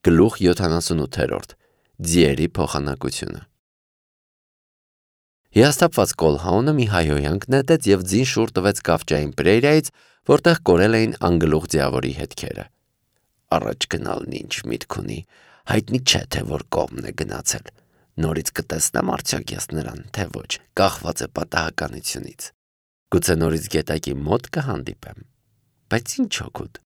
Գլուխ 78 Ձիերի փոխանակությունը Հիասթափված Կոլհաունը մի հայհոյանք նետեց և ձին շուռ տվեց կավճային պրերիայից, որտեղ կորել էին անգլուխ ձիավորի հետքերը։ Առաջ գնալն ինչ միտք ունի, հայտնի չէ, թե որ կողմն է գնացել։ Նորից կտեսնեմ արդյոք ես նրան, թե ոչ, կախված է պատահականությունից։ Գուցե նորից գետակի մոտ կհանդիպեմ։ Բայց ինչ օգուտ։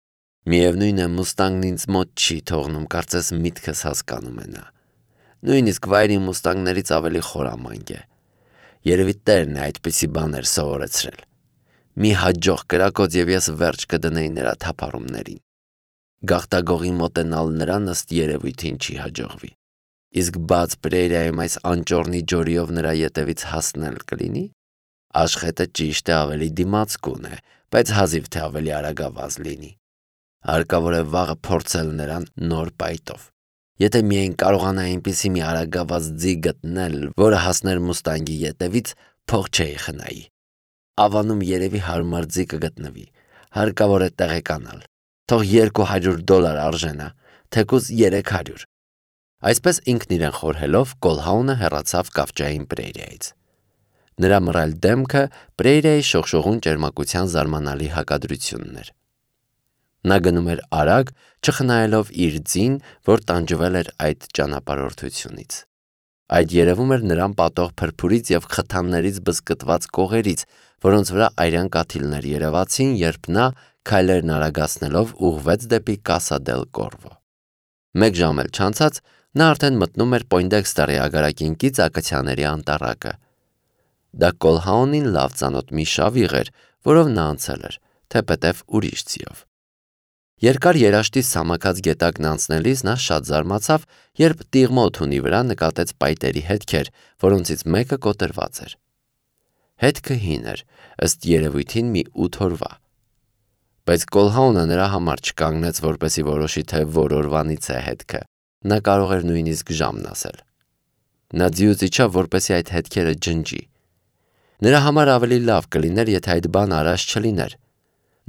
Միևնույն է, մուստանգն ինձ մոտ չի թողնում, կարծես միտքս հասկանում է նա։ Նույնիսկ վայրի մուստանգներից ավելի խորամանկ է։ Երևի տերն է այդպիսի բաներ սովորեցրել։ Մի հաջող կրակոց և ես վերջ կդնեի նրա թափառումներին։ Գաղտագողի մոտենալ նրան ըստ երևույթին չի հաջողվի։ Իսկ բաց պրերիայում այս անճոռնի ջորիով նրա ետևից հասնել կլինի։ Աշխետը ճիշտ է ավելի դիմացկուն է, բայց հազիվ թե ավելի արագավազ լինի։ Հարկավոր է վաղը փորձել նրան նոր պայտով։ Եթե միայն կարողանայի այնպիսի մի արագավազ ձի գտնել, որը հասներ մուստանգի ետևից, փող չէի խնայի։ Ավանում երևի հարմար ձի կգտնվի։ Հարկավոր է տեղեկանալ։ Թող $200 արժենա, թեկուզ 300։ Այսպես ինքն իրեն խորհելով Կոլհաունը հեռացավ կավճային պրերիայից։ Նրա մռայլ դեմքը պրերիայի շողշողուն ճերմակության զարմանալի հակադրությունն էր։ Նա գնում էր արագ, չխնայելով իր ձին, որ տանջվել էր այդ ճանապարհորդությունից։ Այդ երևում էր նրան պատող փրփուրից և խթաններից բզկտված կողերից, որոնց վրա արյան կաթիլներ երևացին, երբ նա, քայլերն արագացնելով, ուղղվեց դեպի Կասա դել Կորվո։ Մեկ ժամ էլ չանցած, նա արդեն մտնում էր Պոյնդեքստերի ագարակինկից ակացիաների անտառակը։ Դա Կոլհաունին լավ ծանոթ մի շավիղ էր, որով նա անցել էր, թեպետև ուրիշ ձիով։ Երկար երաշտի սամաքած գետակն անցնելիս նա շատ զարմացավ, երբ տիղմո թունի վրա նկատեց պայտերի հետքեր, որոնցից մեկը կոտրված էր։ Հետքը հին էր, ըստ երևույթին մի 8 օրվա։ Բայց Կոլհաունը նրա համար չկանգնեց, որպեսզի որոշի, թե որ օրվանից է հետքը։ Նա կարող էր նույնիսկ ժամն ասել։ Նա ձիուց իջավ, որպեսզի այդ հետքերը ջնջի։ Նրա համար ավելի լավ կլիներ, եթե այդ բանը արած չլիներ։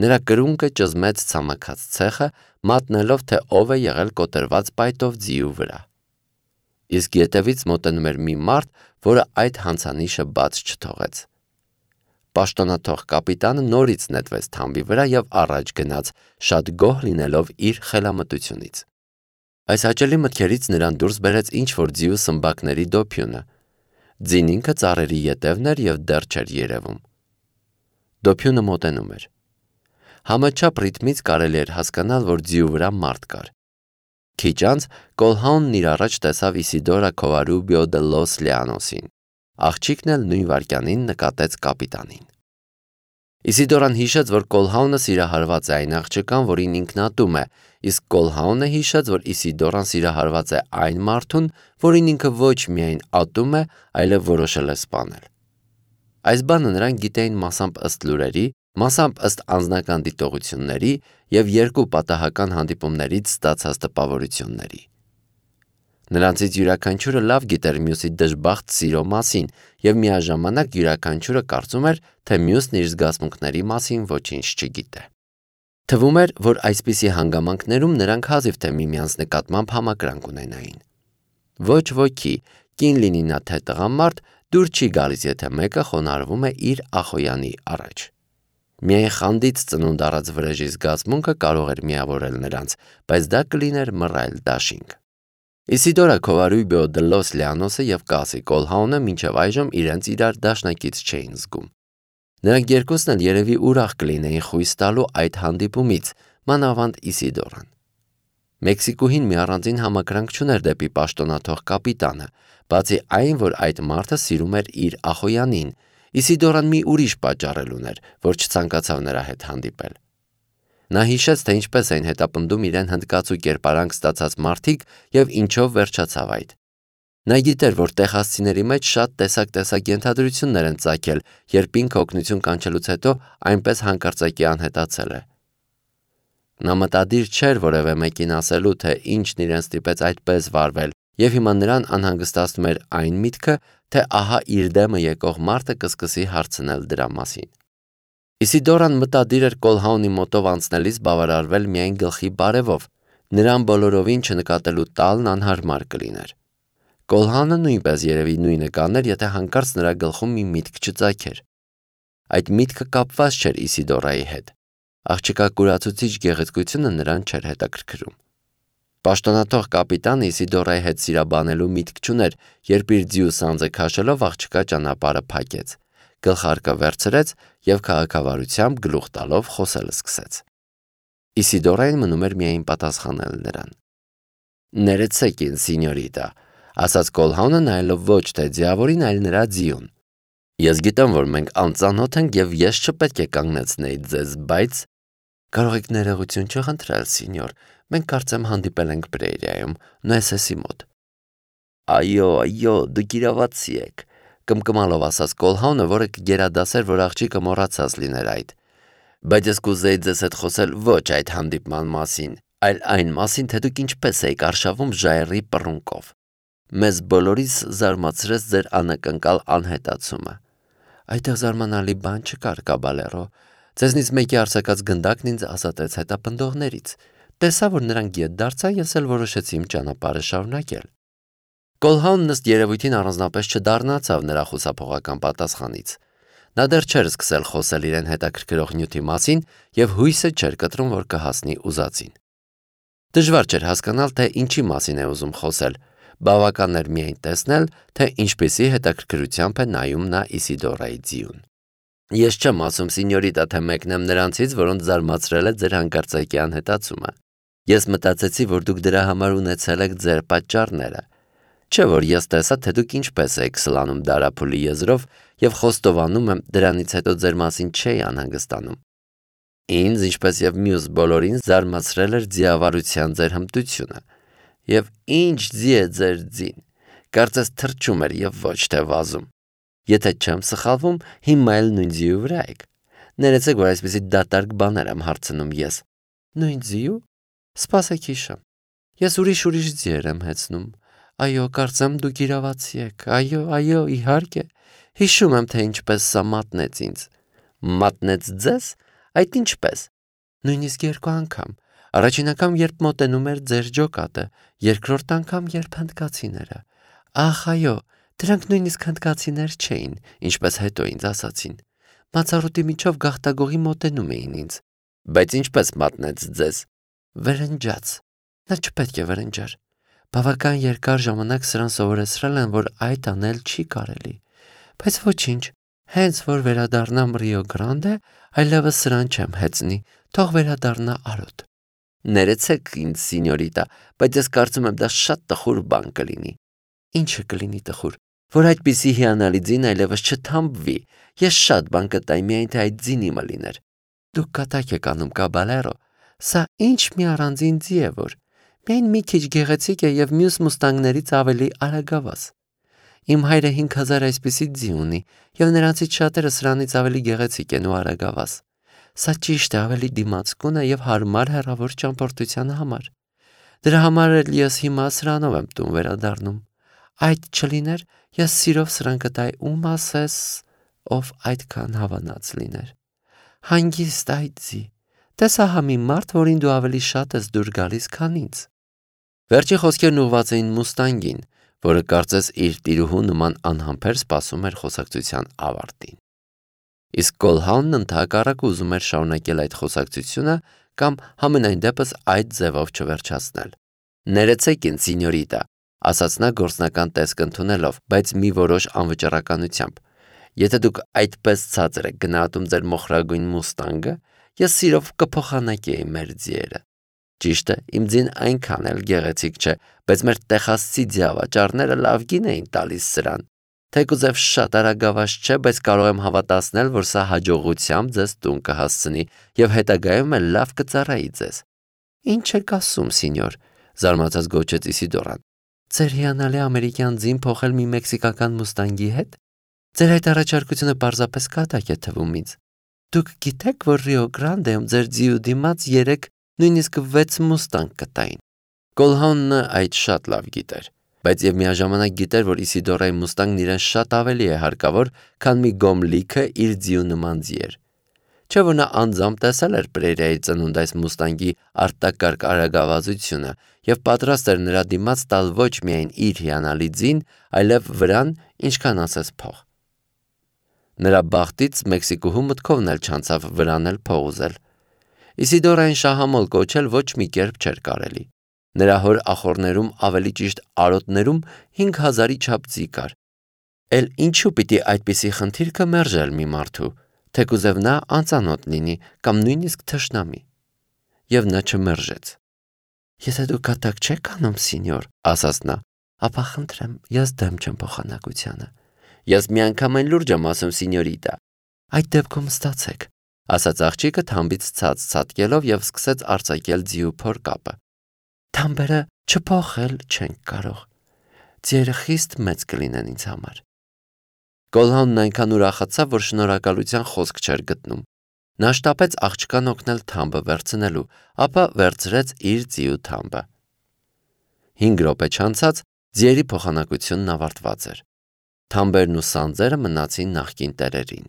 Նրա կրունկը ճզմեց ցամաքած ցեխը, մատնելով, թե ով է եղել կոտրված պայտով ձիու վրա։ Իսկ ետևից մոտենում էր մի մարդ, որը այդ հանցանիշը բաց չթողեց։ Պաշտոնաթող կապիտանը նորից նետվեց թամբի վրա և առաջ գնաց, շատ գոհ լինելով իր խելամտությունից։ Այս հաճելի մտքերից նրան դուրս բերեց ինչ-որ ձիու սմբակների դոփյունը։ Ձին ինքը ծառերի ետևն էր և դեռ չէր երևում։ Դոփյունը մոտենում էր։ Համաչափ ռիթմից կարելի էր հասկանալ, որ ձիու վրա մարդ կար։ Քիչ անց Կոլհաունն իր առաջ տեսավ Իսիդորա Քովարուբիո դե Լոս Լեանոսին։ Աղջիկն էլ նույն վայրկյանին նկատեց կապիտանին։ Իսիդորան հիշեց, որ Կոլհաունը սիրահարված է այն աղջկան, որին ինքն ատում է, իսկ Կոլհաունը հիշեց, որ Իսիդորան սիրահարված է այն մարդուն, որին ինքը ոչ միայն ատում է, այլև որոշել է սպանել։ Այս բանը նրանք գիտեին մասամբ ըստ լուրերի, մասամբ ըստ անձնական դիտողությունների և երկու պատահական հանդիպումներից ստացած տպավորությունների։ Նրանցից յուրաքանչյուրը լավ գիտեր մյուսի դժբախտ սիրո մասին և միաժամանակ յուրաքանչյուրը կարծում էր, թե մյուսն իր զգացմունքների մասին ոչինչ չգիտե։ Թվում էր, որ այսպիսի հանգամանքներում նրանք հազիվ թե միմյանց նկատմամբ համակրանք ունենային։ Ոչ ոքի, կին լինի նա թե տղամարդ, դուր չի գալիս, եթե մեկը խոնարհվում է իր ախոյանի առաջ։ Միայն խանդից ծնունդ առած վրեժի զգացմունքը կարող էր միավորել նրանց, բայց դա կլիներ մռայլ դաշինք։ Իսիդորա Քովարուբիո դե Լոս Լեանոսը և Կասի Կոլհաունը մինչև այժմ իրենց իրար դաշնակից չէին զգում։ Նրանք երկուսն էլ երևի ուրախ կլինեին խույս տալու այդ հանդիպումից, մանավանդ Իսիդորան։ Մեքսիկուհին մի առանձին համակրանք չուներ դեպի պաշտոնաթող կապիտանը, բացի այն, որ այդ մարդը սիրում էր իր ախոյանին, Իսիդորան մի ուրիշ պատճառ էլ ուներ, որ չցանկացավ նրա հետ հանդիպել։ Նա հիշեց, թե ինչպես էին հետապնդում իրեն հնդկացու կերպարանք ստացած մարդիկ և ինչով վերջացավ այդ։ Նա գիտեր, որ տեխասցիների մեջ շատ տեսակ ենթադրություններ են ծագել, երբ ինքը օգնություն կանչելուց հետո այնպես հանկարծակի անհետացել է։ Նա մտադիր չէր որևէ մեկին ասելու, թե ինչն իրեն ստիպեց այդպես վարվել, և հիմա նրան անհանգստացնում էր այն միտքը, թե ահա իր դեմը եկող մարդը կսկսի հարցնել դրա մասին։ Իսիդորան մտադիր էր Կոլհաունի մոտով անցնելիս բավարարվել միայն գլխի բարևով, Նրան բոլորովին չնկատելու տալն անհարմար կլիներ։ Կոլհանը նույնպես երևի նույնը կաներ, եթե հանկարծ նրա գլխում մի միտք չծագեր։ Այդ միտքը կապված չէր Իսիդորայի հետ։ Աղջկա կուրացուցիչ գեղեցկությունը նրան չէր հետաքրքրում։ Պաշտոնաթող կապիտանը Իսիդորայի հետ սիրաբանելու միտք չուներ, երբ իր ձիու սանձը քաշելով աղջկա ճանապարհը փակեց, գլխարկը վերցրեց եւ քաղաքավարությամբ գլուխ տալով խոսել սկսեց։ Իսիդորային մնում էր միայն պատասխանել նրան։ «Ներեցեք ինձ, սինյորիտա», ասաց Կոլհանը նայելով ոչ թե ձիավորին, այլ նրա ձիուն։ «Ես գիտեմ, որ մենք անծանոթ ենք եւ ես չպետք է կանգնեցնեի ձեզ, բայց կարող եք ներողություն չխնդրել, սինյոր, մենք կարծեմ հանդիպել ենք Պրերիայում, Նոեսեսի մոտ»։ Այո, դուք իրավացի եք, կմկմալով ասաց Կոլհանը, որը կգերադասեր, որ աղջիկը մոռացած լիներ այդ։ Բայց ես կուզեի ձեզ հետ խոսել ոչ այդ հանդիպման մասին, այլ այն մասին, թե դուք ինչպես եք արշավում ժայռի պռունկով։ Մեզ բոլորիս զարմացրեց ձեր անակնկալ անհետացումը։ Այդտեղ զարմանալի բան չկար, կաբալերո։ Ձեզնից մեկի արձակած գնդակն ինձ ազատեց հետապնդողներից։ Տեսա, որ նրանք ետ դարձան, ես էլ որոշեցի իմ ճանապարհը շարունակել։ Կոլհանն ըստ երևույթին առանձնապես չդառնացավ նրա խուսափողական պատասխանից։ Նա դեռ չէր սկսել խոսել իրեն հետաքրքրող նյութի մասին եւ հույսը չէր կտրում, որ կհասնի ուզածին։ Դժվար չէր հասկանալ, թե ինչի մասին է ուզում խոսել։ Բավական էր միայն տեսնել, թե ինչպիսի հետաքրքրությամբ է նայում նա Իսիդորայի ձիուն։ Ես չեմ ասում, սինյորիտա, թե մեկն եմ նրանցից, որոնց զարմացրել է ձեր հանկարծակի անհետացումը։ Ես մտածեցի, որ դուք դրա համար ունեցել եք ձեր պատճառները։ Չէ՞ որ ես տեսա, թե դուք ինչպես եք սլանում դարափուլի եզրով եւ խոստովանում եմ, դրանից հետո ձեր մասին չէի անհանգստանում։ Ինձ, ինչպես եւ մյուս բոլորին, զարմացրել էր ձիավարության ձեր հմտությունը։ Եվ ինչ ձի է ձեր ձին, կարծես թրջում էր եւ ոչ թե վազում։ Եթե չեմ սխալվում, հիմա էլ նույն ձիու վրա եք։ Ներեցեք, որ այսպեսի դատարկ բաներ եմ հարցնում ես։ Նույն ձիու։ Սպասեք հիշեմ։ Ես ուրիշ ձիեր եմ հեծնում։ Այո, կարծեմ դուք իրավացի եք։ Այո, իհարկե։ Հիշում եմ, թե ինչպես սա մատնեց ինձ։ Մատնեց ձեզ։ Այդ ինչպես։ Նույնիսկ 2 անգամ։ Առաջին անգամ, երբ մոտենում էր ձեր ջոկատը, երկրորդ անգամ, երբ հնդկացիները։ Ախ, այո, դրանք նույնիսկ հնդկացիներ չէին, ինչպես հետո ինձ ասացին։ Մացառուտի միջով գաղտագողի մոտենում էին ինձ։ Բայց ինչպես մատնեց ձեզ։ Վրնջաց։ Նա չպետք է վրնջար։ Բավական երկար ժամանակ սրան սովորեցրել են, որ այդ անել չի կարելի։ Բայց ոչինչ, հենց որ վերադառնամ Ռիո Գրանդե, այլևս սրան չեմ հեծնի, թող վերադառնա արոտ։ Ներեցեք ինձ, սինյորիտա, բայց ես կարծում եմ դա շատ տխուր բան կլինի։ Ինչը կլինի տխուր, որ այդպիսի հիանալի ձին այլևս չթամբվի։ Ես շատ բան կտայի, միայն թե այդ ձին իմը լիներ։ Դուք կատակ եք անում, կաբալերո։ Սա ինչ մի առանձին ձի է, որ միայն մի քիչ գեղեցիկ է եւ մյուս մուստանգներից ավելի արագավազ։ Իմ հայրը 5000 այսպիսի ձի ունի եւ նրանցից շատերը սրանից ավելի գեղեցիկ են ու արագավազ։ Սա ճիշտ է, ավելի դիմացկուն է եւ հարմար հեռավոր ճամփորդության համար։ Դրա համար էլ ես հիմա սրանով եմ տուն վերադառնում։ Այդ չլիներ, ես սիրով սրան կտայի ում ասես, ով այդքան հավանած լիներ։ Հանգիստ այդ ձի։ Տեսա համի մարդ, որին դու ավելի շատ ես դուր գալիս, քան ինձ։ Վերջի խոսքերն ուղղված էին մուստանգին, որը կարծես իր տիրուհու նման անհամբեր սպասում էր խոսակցության ավարտին։ Իսկ Կոլհանն ընդհակառակը ուզում էր շարունակել այդ խոսակցությունը կամ համենայն դեպս այդ ձևով չվերջացնել։ Ներեցեք ինձ, սինյորիտա, ասաց նա գործնական տեսք ընդունելով, բայց մի որոշ անվճռականությամբ։ Եթե դուք այդպես ցածր եք գնահատում ձեր մոխրագույն մուստանգը, ես սիրով կփոխանակեի մեր ձիերը։ Ճիշտ է, իմ ձին այնքան էլ գեղեցիկ չէ, բայց մեր տեխասցի ձիավաճառները լավ գին էին տալիս սրան։ Թեկուզև շատ արագավազ չէ, բայց կարող եմ հավատացնել, որ սա հաջողությամբ ձեզ տուն կհասցնի եւ հետագայում էլ լավ կծառայի ձեզ։ Ինչ եք ասում, սինյոր, զարմացած գոչեց Իսիդորան։ Ձեր հիանալի ամերիկյան ձին փոխել մի մեքսիկական մուստանգի հետ։ Ձեր այդ առաջարկությունը պարզապես կատակ է թվում ինձ։ Դուք գիտեք, որ Ռիո Գրանդեում ձեր ձիու դիմաց 3, նույնիսկ 6 մուստանգ կտային։ Կոլհանն այդ շատ լավ գիտեր, բայց եւ միաժամանակ գիտեր, որ Իսիդորայի մուստանգն իրեն շատ ավելի է հարկավոր, քան մի գոմ լիքը իր ձիու նման ձիեր։ չէ որ նա անձամբ տեսել էր Պերեյրայի ծնունդ այս մուստանգի արտակարգ արագավազությունը և պատրաստ էր նրա դիմաց տալ ոչ միայն իր հիանալի ձին, այլև վրան, ինչքան ասես փող։ Նրա բախտից Մեքսիկուհու մտքովն էլ չանցավ վրան էլ փող ուզել։ Իսիդորային շահամոլ կոչել ոչ մի կերպ չէր կարելի։ Նրա հոր ախոռներում, ավելի ճիշտ արոտներում 5000-ի չափ ձի կար։ Էլ ինչու պիտի այդպիսի խնդիր մերժել մի մարդու, թեկուզև նա անծանոթ լինի կամ նույնիսկ թշնամի։ Եվ նա չմերժեց։ Եթե դուք կատակ չեք անում, սինյոր, ասաց նա, ապա խնդրեմ, ես դեմ չեմ փոխանակությանը։ Ես միանգամայն լուրջ եմ ասում, սինյորիտա։ Այդ դեպքում ստացեք, ասաց աղջիկը թամբից ցած ցատկելով և սկսեց արձակել ձի ու փոր կապը։ Թամբերը չփոխել չենք կարող։ Ձիերը խիստ մեծ կլինեն ինձ համար։ Կոլհանն այնքան ուրախացավ, որ շնորհակալության խոսք չէր գտնում։ Նա շտապեց աղջկան օգնել թամբը վերցնելու, ապա վերցրեց իր ձիու թամբը։ 5 րոպե չանցած ձիերի փոխանակությունն ավարտված էր։ Թամբերն ու սանձերը մնացին նախկին տերերին։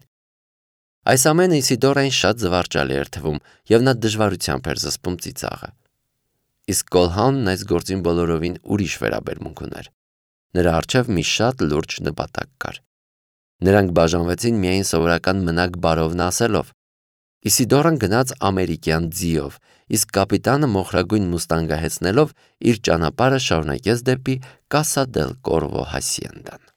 Այս ամենը Իսիդորային շատ զվարճալի էր թվում, և նա դժվարությամբ էր զսպում ծիծաղը։ Իսկ Կոլհանն այս գործին բոլորովին ուրիշ վերաբերմունք ուներ։ Նրա առջև մի շատ լուրջ նպատակ կար։ Նրանք բաժանվեցին միայն սովորական մնակ բարովն ասելով։ Իսիդորան գնաց ամերիկյան ձիով, իսկ կապիտանը մոխրագույն մուստանգը հեծնելով իր ճանապարհը շարունակեց դեպի Կասա դել Կորվո հասիենդան։